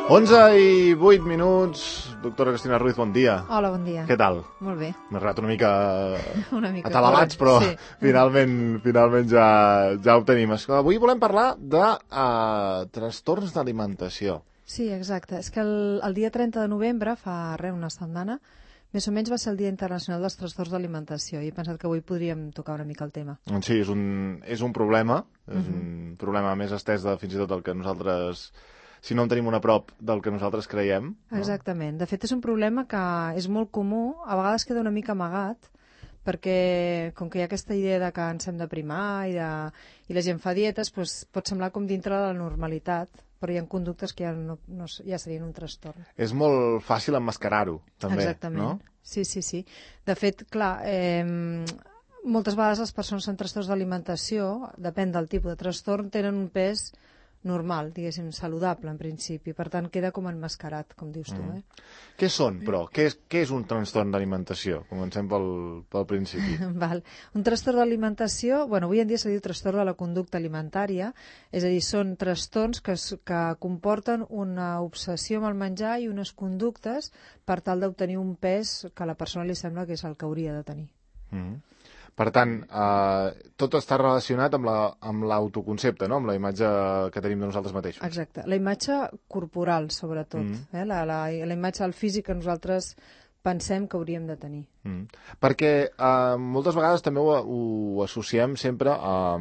11:08. Doctora Cristina Ruiz, bon dia. Hola, bon dia. Què tal? Molt bé. M'he arribat una mica atabalats, però sí. finalment ja ho tenim. Avui volem parlar de trastorns d'alimentació. Sí, exacte. És que el dia 30 de novembre, fa una setmana, més o menys va ser el Dia Internacional dels Trastorns d'Alimentació i he pensat que avui podríem tocar una mica el tema. Sí, és un problema, és un problema més estès fins i tot del que nosaltres... si no en tenim una prop del que nosaltres creiem. No? Exactament. De fet, és un problema que és molt comú, a vegades queda una mica amagat, perquè com que hi ha aquesta idea de que ens hem de primar i la gent fa dietes, doncs pot semblar com dintre de la normalitat, però hi ha conductes que ja serien un trastorn. És molt fàcil emmascarar-ho, també. Exactament. No? Sí. De fet, clar, moltes vegades les persones amb trastorns d'alimentació, depèn del tipus de trastorn, tenen un pes normal, diguéssim, saludable en principi, per tant queda com emmascarat, com dius tu. Què són, però? Què és un trastorn d'alimentació? Comencem pel principi. Val. Un trastorn d'alimentació, avui en dia se diu trastorn de la conducta alimentària, és a dir, són trastorns que comporten una obsessió amb el menjar i unes conductes per tal d'obtenir un pes que a la persona li sembla que és el que hauria de tenir. Per tant, tot està relacionat amb l'autoconcepte, no? Amb la imatge que tenim de nosaltres mateixos. Exacte. La imatge corporal, sobretot. La imatge del físic que nosaltres pensem que hauríem de tenir. Perquè moltes vegades també ho associem sempre a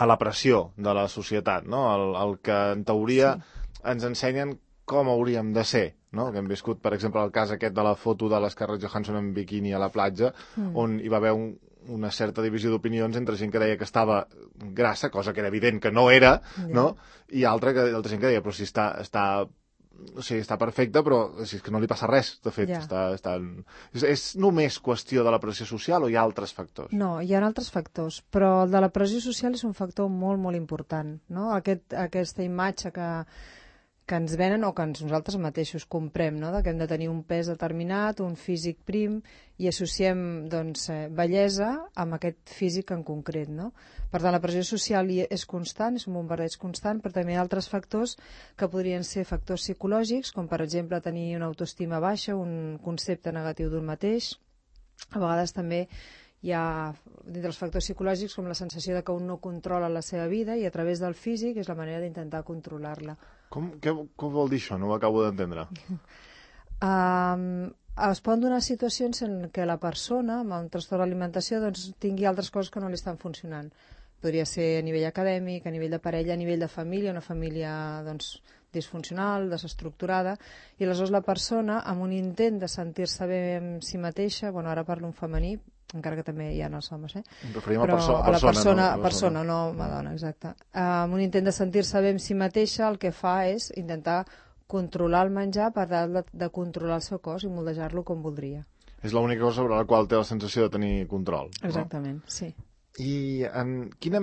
la pressió de la societat, no? El que en teoria ens ensenyen com hauríem de ser. No? Que hem viscut, per exemple, el cas aquest de la foto de l'Scarlett Johansson en biquini a la platja, on hi va haver una certa divisió d'opinions entre gent que deia que estava grassa, cosa que era evident que no era, no? I altra gent que deia, però si està perfecta, però si és que no li passa res, de fet. És només qüestió de la pressió social o hi ha altres factors? No, hi ha altres factors, però el de la pressió social és un factor molt, molt important, no? Aquesta imatge que ens venen o que nosaltres mateixos comprem, no? Que hem de tenir un pes determinat, un físic prim, i associem bellesa amb aquest físic en concret. No? Per tant, la pressió social és constant, és un bombardeig constant, però també hi ha altres factors que podrien ser factors psicològics, com per exemple tenir una autoestima baixa, un concepte negatiu d'un mateix. A vegades també hi ha dintre els factors psicològics com la sensació de que un no controla la seva vida i a través del físic és la manera d'intentar controlar-la. Què vol dir això? No ho acabo d'entendre. Es poden donar situacions en què la persona amb un trastorn d'alimentació tingui altres coses que no li estan funcionant. Podria ser a nivell acadèmic, a nivell de parella, a nivell de família, una família disfuncional, desestructurada, i aleshores la persona, amb un intent de sentir-se bé amb si mateixa, ara parlo en femení, encara que també hi ha els homes, referim però a la persona, no Madonna, exacte. Amb un intent de sentir-se bé amb si mateixa, el que fa és intentar controlar el menjar per tal de controlar el seu cos i moldejar-lo com voldria. És l'única cosa sobre la qual té la sensació de tenir control. Exactament, no? Sí. I quina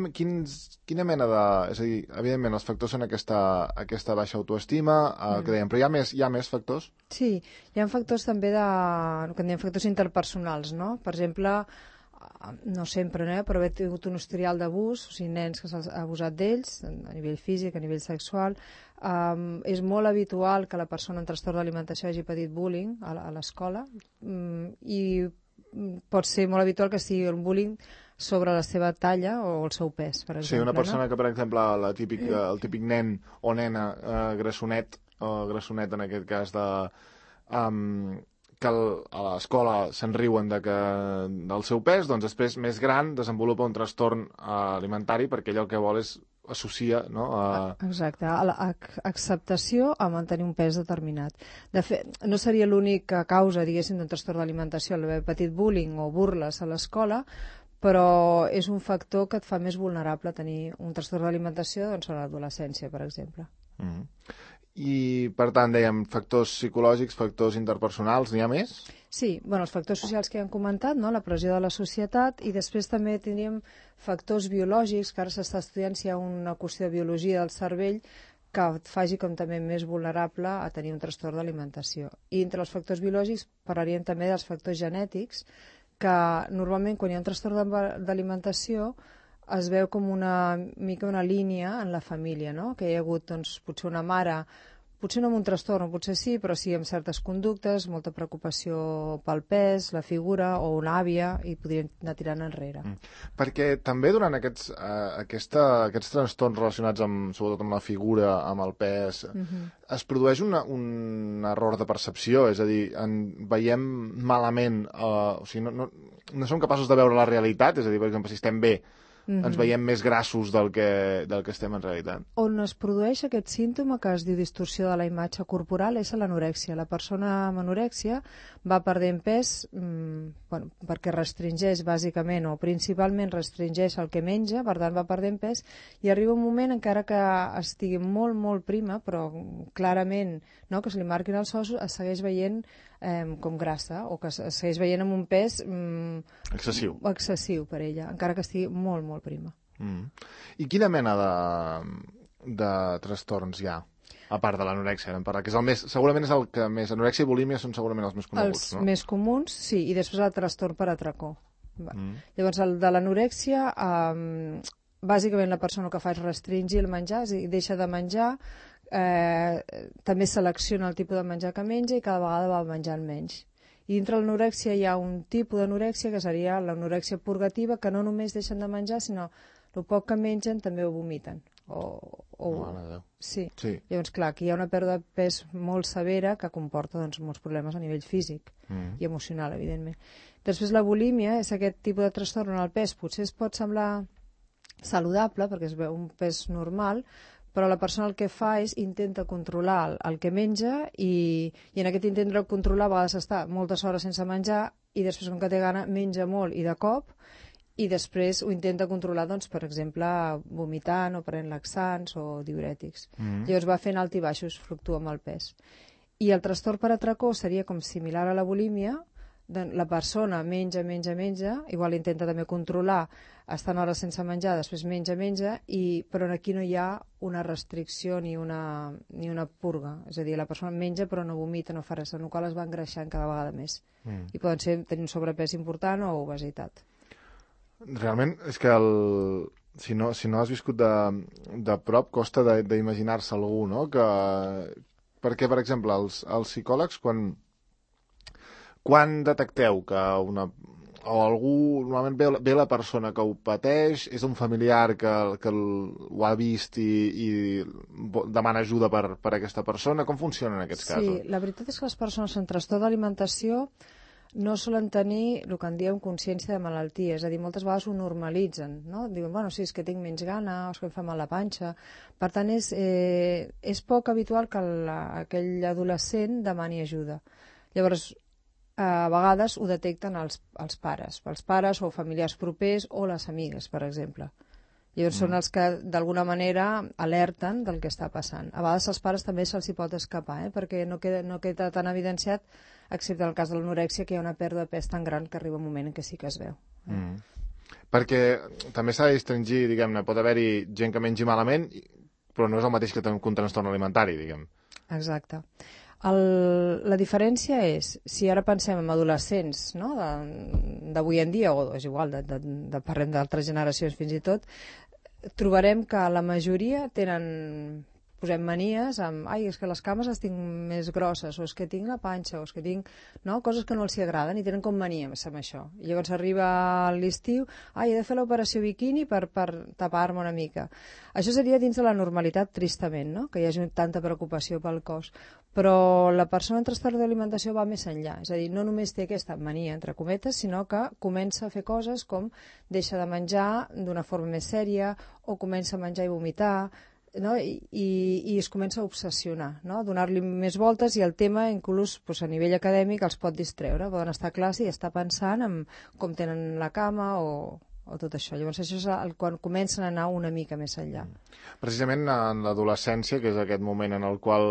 mena de... És a dir, evidentment, els factors són aquesta baixa autoestima, que dèiem, però hi ha més factors? Sí, hi ha factors també que en diem factors interpersonals, no? Per exemple, no sempre, però haver tingut un historial d'abús, o sigui, nens que s'ha abusat d'ells, a nivell físic, a nivell sexual. És molt habitual que la persona amb trastorn d'alimentació hagi patit bullying a l'escola i pot ser molt habitual que sigui un bullying sobre la seva talla o el seu pes, per exemple. Sí, una persona que, per exemple, el típic nen o nena grassonet, o grassonet en aquest cas, que a l'escola se'n riuen del seu pes, doncs després, més gran, desenvolupa un trastorn alimentari perquè ell el que vol és associa, no? Exacte, acceptació a mantenir un pes determinat. De fet, no seria l'única causa, diguéssim, d'un trastorn d'alimentació, l'haver patit bullying o burles a l'escola, però és un factor que et fa més vulnerable a tenir un trastorn d'alimentació a l'adolescència, per exemple. I, per tant, dèiem, factors psicològics, factors interpersonals, n'hi ha més? Sí, els factors socials que ja hem comentat, no? La pressió de la societat, i després també tindríem factors biològics, que ara s'està estudiant si hi ha una qüestió de biologia del cervell que et faci com també més vulnerable a tenir un trastorn d'alimentació. I entre els factors biològics parlaríem també dels factors genètics, que normalment quan hi ha un trastorn d'alimentació es veu com una línia en la família, no? Que hi ha hagut potser una mare potser no amb un trastorn, potser sí, però sí amb certes conductes, molta preocupació pel pes, la figura o una àvia, i podrien anar tirant enrere. Perquè també durant aquests trastorns relacionats sobretot amb la figura, amb el pes, es produeix un error de percepció, és a dir, veiem malament, o sigui, no som capaços de veure la realitat, és a dir, per exemple, si estem bé, ens veiem més grassos del que estem en realitat. On es produeix aquest símptoma que es diu distorsió de la imatge corporal és a l'anorèxia. La persona amb anorèxia va perdent pes perquè restringeix bàsicament o principalment restringeix el que menja, per tant va perdent pes, i arriba un moment, encara que estigui molt, molt prima, però clarament que se li marquin els ossos, es segueix veient com grassa, o que es segueix veient amb un pes excessiu per ella, encara que estigui molt, molt prima. I quina mena de trastorns hi ha, a part de l'anorèxia, que és segurament és el que més... Anorèxia i bulímia són segurament els més coneguts, no? Els més comuns, sí, i després el trastorn per atracó. Llavors, el de l'anorèxia, bàsicament la persona que fa és restringir el menjar, és a dir, deixa de menjar, també selecciona el tipus de menjar que menja i cada vegada va menjant menys. I dintre l'anorèxia hi ha un tipus d'anorèxia que seria l'anorèxia purgativa, que no només deixen de menjar, sinó el poc que mengen també ho vomiten. Sí. Llavors, clar, aquí hi ha una pèrdua de pes molt severa que comporta molts problemes a nivell físic i emocional, evidentment. Després, la bulímia és aquest tipus de trastorn on el pes potser es pot semblar saludable, perquè es veu un pes normal, però la persona el que fa és intenta controlar el que menja i en aquest intent de controlar a vegades està moltes hores sense menjar i després, com que té gana, menja molt i de cop, i després ho intenta controlar, doncs, per exemple, vomitant o prenent laxants o diurètics. Llavors va fent alt i baixos, fluctua amb el pes. I el trastorn per atracó seria com similar a la bulímia. La persona menja, igual intenta també controlar, estant hores sense menjar, després menja, però aquí no hi ha una restricció ni una purga. És a dir, la persona menja però no vomita, no fa res, en el qual es va engreixant cada vegada més. I poden tenir un sobrepès important o obesitat. Realment és que si no has viscut de prop costa d'imaginar-se algú, no? Perquè, per exemple, els psicòlegs, quan detecteu que algú, normalment ve la persona que ho pateix, és un familiar que ho ha vist i demana ajuda per aquesta persona, com funciona en aquests casos? Sí, la veritat és que les persones amb trastorn d'alimentació no solen tenir el que en diem consciència de malaltia, és a dir, moltes vegades ho normalitzen, no? Diuen, bueno, sí, és que tinc menys gana, o és que em fa mal la panxa. Per tant, és poc habitual que aquell adolescent demani ajuda. Llavors, a vegades ho detecten els pares o familiars propers o les amigues, per exemple. Llavors són els que d'alguna manera alerten del que està passant. A vegades als pares també se'ls hi pot escapar, perquè no queda tan evidenciat, excepte en el cas de l'anorèxia, que hi ha una pèrdua de pes tan gran que arriba un moment en què sí que es veu. Perquè també s'ha de distingir, diguem-ne, pot haver-hi gent que mengi malament, però no és el mateix que un trastorn alimentari, diguem. Exacte. La diferència és, si ara pensem en adolescents, no?, d'avui en dia, o és igual, parlem d'altres generacions fins i tot, trobarem que la majoria tenen, posem manies amb, és que les cames les tinc més grosses, o és que tinc la panxa, o és que tinc, no?, coses que no els agraden i tenen com manies amb això. I llavors arriba l'estiu, he de fer l'operació biquini per tapar-me una mica. Això seria dins de la normalitat, tristament, no?, que hi hagi tanta preocupació pel cos. Però la persona amb trastorn d'alimentació va més enllà, és a dir, no només té aquesta mania, entre cometes, sinó que comença a fer coses com deixa de menjar d'una forma més sèria o comença a menjar i vomitar, no? I es comença a obsessionar, no? A donar-li més voltes, i el tema, inclús a nivell acadèmic, els pot distreure. Poden estar a classe i estar pensant en com tenen la cama o tot això. Llavors això és quan comencen a anar una mica més enllà. Precisament en l'adolescència, que és aquest moment en el qual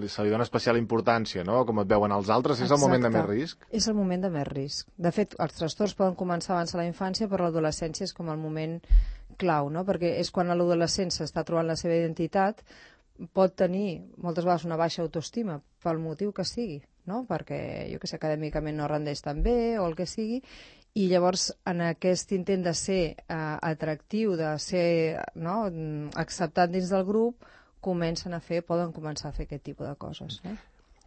se li dona especial importància, no?, com et veuen els altres, és el moment de més risc? És el moment de més risc. De fet, els trastorns poden començar abans de la infància, però l'adolescència és com el moment clau, no?, perquè és quan l'adolescent s'està trobant la seva identitat, pot tenir moltes vegades una baixa autoestima pel motiu que sigui, no?, perquè, jo que sé, acadèmicament no rendeix tan bé o el que sigui, i llavors en aquest intent de ser atractiu, de ser acceptat dins del grup, poden començar a fer aquest tipus de coses.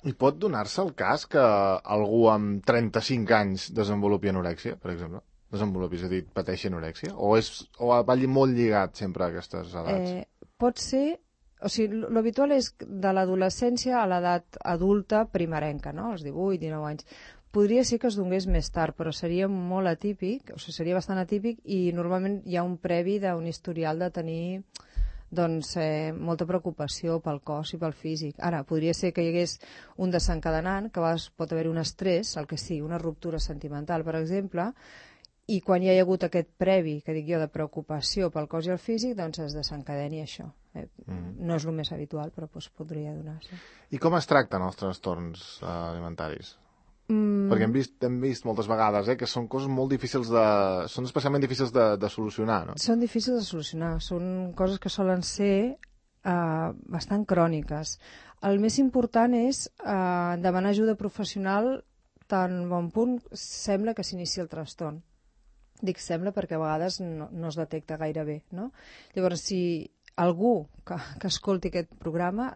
I pot donar-se el cas que algú amb 35 anys desenvolupi anorèxia, per exemple? És a dir, pateixi anorèxia? O va molt lligat sempre a aquestes edats? Pot ser... O sigui, l'habitual és de l'adolescència a l'edat adulta primerenca, no? Als 18, 19 anys. Podria ser que es donés més tard, però seria molt atípic, o sigui, seria bastant atípic, i normalment hi ha un previ d'un historial de tenir molta preocupació pel cos i pel físic. Ara, podria ser que hi hagués un desencadenant, que a vegades pot haver un estrès, el que sigui, una ruptura sentimental, per exemple, i quan hi ha hagut aquest previ, que dic jo, de preocupació pel cos i el físic, doncs es desencadeni això. No és el més habitual, però podria donar-se. I com es tracten els trastorns alimentaris? Perquè hem vist moltes vegades que són coses molt difícils són especialment difícils de solucionar, no? Són difícils de solucionar, són coses que solen ser bastant cròniques. El més important és demanar ajuda professional tan bon punt sembla que s'inici el trastorn. Dic sembla perquè a vegades no es detecta gaire bé, no? Llavors, si algú que escolti aquest programa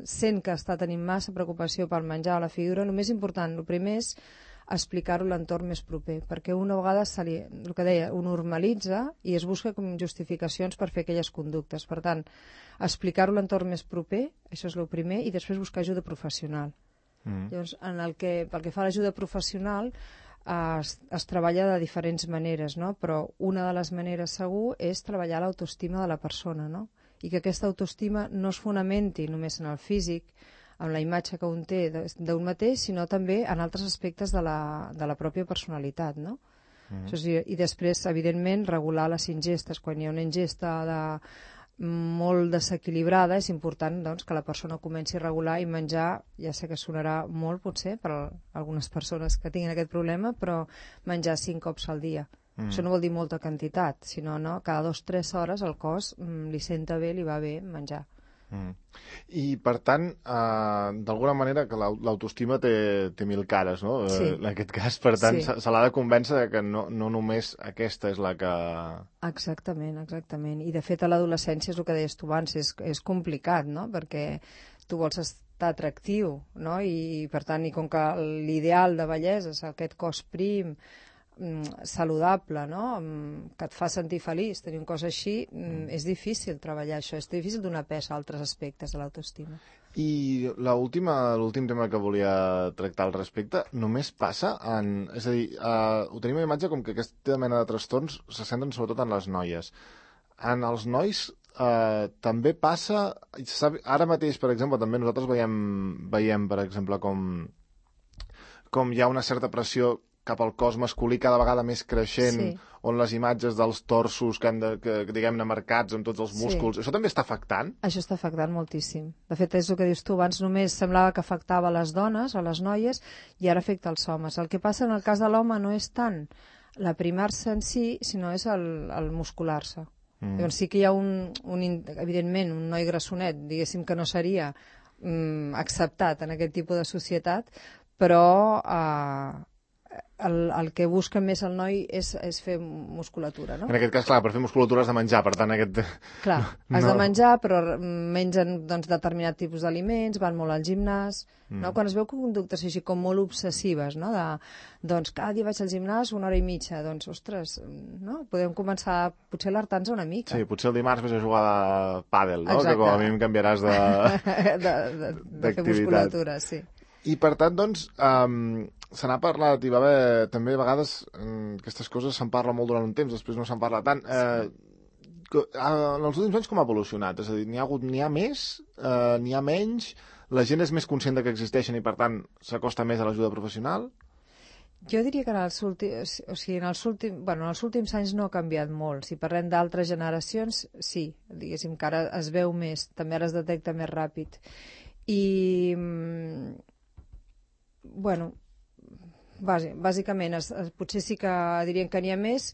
sent que està tenint massa preocupació pel menjar o la figura, el més important, el primer és explicar-ho a l'entorn més proper, perquè una vegada el que deia, ho normalitza i es busca com justificacions per fer aquelles conductes. Per tant, explicar-ho a l'entorn més proper, això és el primer, i després buscar ajuda professional. Llavors, pel que fa a l'ajuda professional, es treballa de diferents maneres, no? Però una de les maneres segur és treballar l'autoestima de la persona, no? I que aquesta autoestima no es fonamenti només en el físic, en la imatge que un té d'un mateix, sinó també en altres aspectes de la pròpia personalitat, no? I després, evidentment, regular les ingestes. Quan hi ha una ingesta molt desequilibrada, és important que la persona comenci a regular i menjar, ja sé que sonarà molt potser per a algunes persones que tinguin aquest problema, però menjar 5 cops al dia. Això no vol dir molta quantitat, sinó cada 2 o 3 hores el cos li senta bé, li va bé menjar. I per tant, d'alguna manera que l'autoestima té 1000 cares, no? Sí. En aquest cas, per tant, se l'ha de convèncer que no només aquesta és la que... Exactament. I de fet a l'adolescència és el que deies tu abans, és complicat, no? Perquè tu vols estar atractiu, no? I per tant, i com que l'ideal de bellesa és aquest cos prim, saludable, no? Que et fa sentir feliç, tenir un cos així, és difícil treballar això, és difícil donar pes a altres aspectes de l'autoestima. I l'últim tema que volia tractar al respecte només passa és a dir, ho tenim a imatge com que aquesta mena de trastorns se centren sobretot en les noies. En els nois també passa, ara mateix, per exemple, també nosaltres veiem per exemple, com hi ha una certa pressió cap al cos masculí cada vegada més creixent, on les imatges dels torsos que diguem-ne, marcats amb tots els músculs, això també està afectant? Això està afectant moltíssim. De fet, és el que dius tu, abans només semblava que afectava a les dones, a les noies, i ara afecta als homes. El que passa en el cas de l'home no és tant l'aprimar-se en si, sinó és el muscular-se. Llavors sí que hi ha evidentment, un noi grassonet, diguéssim que no seria acceptat en aquest tipus de societat, però el que busca més el noi és fer musculatura, no? En aquest cas, clar, per fer musculatura has de menjar, per tant Clar, has de menjar, però mengen determinat tipus d'aliments, van molt al gimnàs, no? Quan es veu conductes així com molt obsessives, no? Cada dia vaig al gimnàs 1 hora i mitja, ostres, no? Podem començar, potser alertar-nos una mica. Sí, potser el dimarts vas a jugar a pàdel, no? Exacte. Que com a mínim canviaràs de fer musculatura, sí. I per tant, se n'ha parlat, i va haver també a vegades aquestes coses se'n parla molt durant un temps, després no se'n parla tant. En els últims anys com ha evolucionat? És a dir, n'hi ha més, n'hi ha menys, la gent és més conscient que existeixen i per tant s'acosta més a l'ajuda professional? Jo diria que en els últims anys no ha canviat molt. Si parlem d'altres generacions, sí, diguéssim que ara es veu més, també ara es detecta més ràpid. I bàsicament, potser sí que dirien que n'hi ha més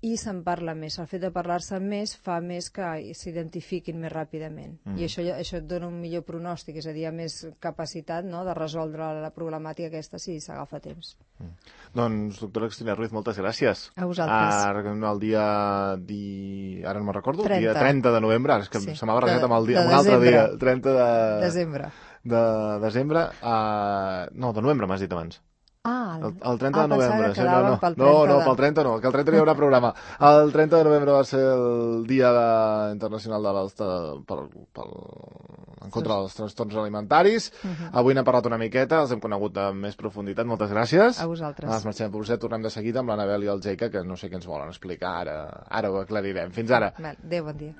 i se'n parla més. El fet de parlar-se més fa més que s'identifiquin més ràpidament. I això et dona un millor pronòstic, és a dir, més capacitat, no?, de resoldre la problemàtica aquesta si s'agafa temps. Doncs, doctora Cristina Ruiz, moltes gràcies. A vosaltres. Ara el dia... Ara no me'n recordo, 30. el dia 30 de novembre, és que se m'ha barrejat amb un altre dia. 30 de... Desembre. De desembre, no, de novembre m'has dit abans. El 30 de novembre. No, pel 30 no, que el 30 no hi haurà programa. El 30 de novembre va ser el dia internacional en contra dels trastorns alimentaris. Avui n'hem parlat una miqueta, els hem conegut amb més profunditat. Moltes gràcies. A vosaltres. Ens marxem per vostè, tornem de seguida amb l'Anabel i el Jaica, que no sé què ens volen explicar, ara ho aclarirem. Fins ara. Adéu, bon dia.